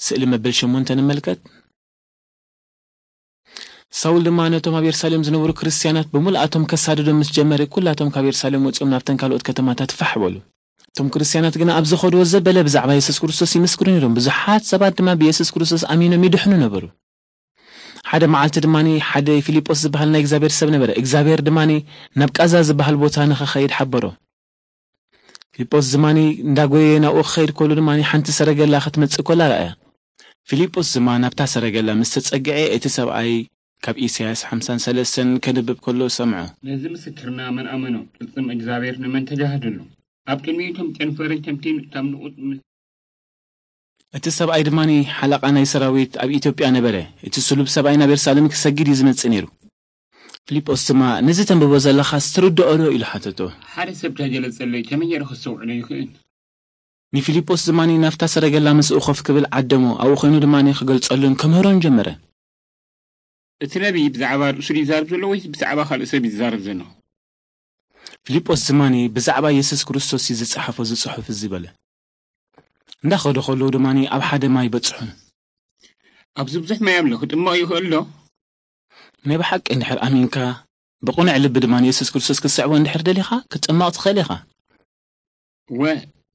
ስእሊ መበል ሸሞንተ ንመልከት። ሳውል ድማ ነቶም ኣብ የሩሳሌም ዝነበሩ ክርስትያናት ብምልኣቶም ከሳድዶም ምስ ጀመረ፣ ኩላቶም ካብ የሩሳሌም ወጺኦም ናብተን ካልኦት ከተማታት ፋሕ በሉ። እቶም ክርስትያናት ግና ኣብ ዝኸድዎ ዘበለ ብዛዕባ የሱስ ክርስቶስ ይምስክሩ ነይሮም። ብዙሓት ሰባት ድማ ብየሱስ ክርስቶስ ኣሚኖም ይድሕኑ ነበሩ። ሓደ መዓልቲ ድማ ሓደ ፊልጶስ ዝበሃል ናይ እግዚኣብሔር ሰብ ነበረ። እግዚኣብሔር ድማ ናብ ቃዛ ዝበሃል ቦታ ንኸኸይድ ሓበሮ። ፊልጶስ ድማ እንዳጎየ ናብኡ ክኸይድ ከሉ ድማ ሓንቲ ሰረገላ ክትመጽእ ከላ ረኣያ። ፊልጶስ ድማ ናብታ ሰረገላ ምስ ተጸግዐ፣ እቲ ሰብኣይ ካብ ኢሳያስ ሓምሳን ሰለስተን ከንብብ ከሎ ሰምዖ። ነዚ ምስክርና መን ኣመኖ? ቅልጽም እግዚኣብሔር ንመን ተጋህደሉ? ኣብ ቅድሚኡ ከም ጨንፈርን ከምቲ ካብ ንቑጽ ምስ እቲ ሰብኣይ ድማ ሓለቓ ናይ ሰራዊት ኣብ ኢትዮጵያ ነበረ። እቲ ስሉብ ሰብኣይ ናብ የሩሳሌም ክሰግድ እዩ ዝመጽእ ነይሩ። ፊልጶስ ድማ፣ "ነዚ ተንብቦ ዘለኻስ ትርድኦ ዶ?" ኢሉ ሓተቶ። ሓደ ሰብ ተገለጸለይ፣ ከመይ ገይረ ክስተውዕሎ ይኽእል? ንፊልጶስ ድማ ናብታ ሰረገላ ምስኡ ኮፍ ክብል ዓደሞ። ኣብኡ ኮይኑ ድማ ክገልጸሉን ከምህሮን ጀመረ። እቲ ነቢይ ብዛዕባ ርእሱ ድዩ ይዛረብ ዘሎ ወይስ ብዛዕባ ካልእ ሰብ እዩ ዝዛረብ ዘሎ? ፊልጶስ ድማ ብዛዕባ የሱስ ክርስቶስ እዩ ዝጸሓፎ እዚ ጽሑፍ እዚ በለ። እንዳኸዱ ከለዉ ድማ ኣብ ሓደ ማይ በጽሑ። ኣብዚ ብዙሕ ማይ ኣሎ፣ ክጥመቕ ይኽእል ዶ? ናይ ብሓቂ እንድሕር ኣሚንካ፣ ብቕኑዕ ልቢ ድማ የሱስ ክርስቶስ ክትስዕቦ እንድሕር ደሊኻ፣ ክትጥመቕ ትኽእል ኢኻ። እወ፣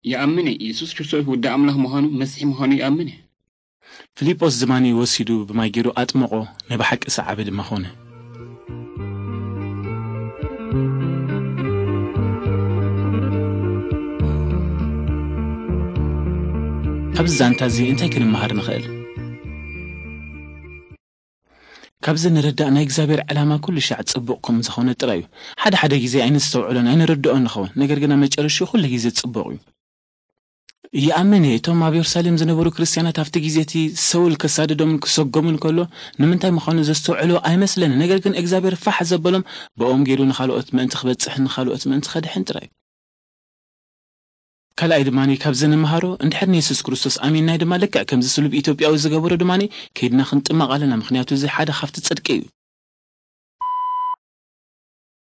ይኣምን እየ። የሱስ ክርስቶስ ወዲ ኣምላኽ ምዃኑ፣ መሲሕ ምዃኑ ይኣምን እየ። ፊልጶስ ድማ ወሲዱ ብማይ ገይሩ ኣጥመቖ፣ ናይ ብሓቂ ሰዓቢ ድማ ኾነ። ካብዚ ዛንታ እዚ እንታይ ክንመሃር ንኽእል? ካብዚ ንርዳእ ናይ እግዚኣብሔር ዕላማ ኩሉ ሻዕ ጽቡቕ ከም ዝኾነ ጥራይ እዩ። ሓደ ሓደ ግዜ ኣይንስተውዕሎን ኣይንርድኦን ንኸውን፣ ነገር ግን ኣብ መጨረሽኡ ኩሉ ግዜ ጽቡቕ እዩ። ይኣምን እየ፣ እቶም ኣብ የሩሳሌም ዝነበሩ ክርስትያናት ኣብቲ ግዜ እቲ ሰውል ከሳድዶምን ክሰጎምን ከሎ ንምንታይ ምዃኑ ዘስተውዕሉ ኣይመስለንን። ነገር ግን እግዚኣብሔር ፋሕ ዘበሎም ብኦም ገይሩ ንኻልኦት ምእንቲ ክበጽሕን ንኻልኦት ምእንቲ ከድሕን ጥራይ እዩ። ካልኣይ ድማ ካብዚ ንምሃሮ፣ እንድሕር ንየሱስ ክርስቶስ ኣሚንናይ ድማ ልክዕ ከምዚ ስሉብ ኢትዮጵያዊ ዝገበሮ ድማ ከይድና ክንጥመቕ ኣለና፣ ምኽንያቱ እዚ ሓደ ካብቲ ጽድቂ እዩ።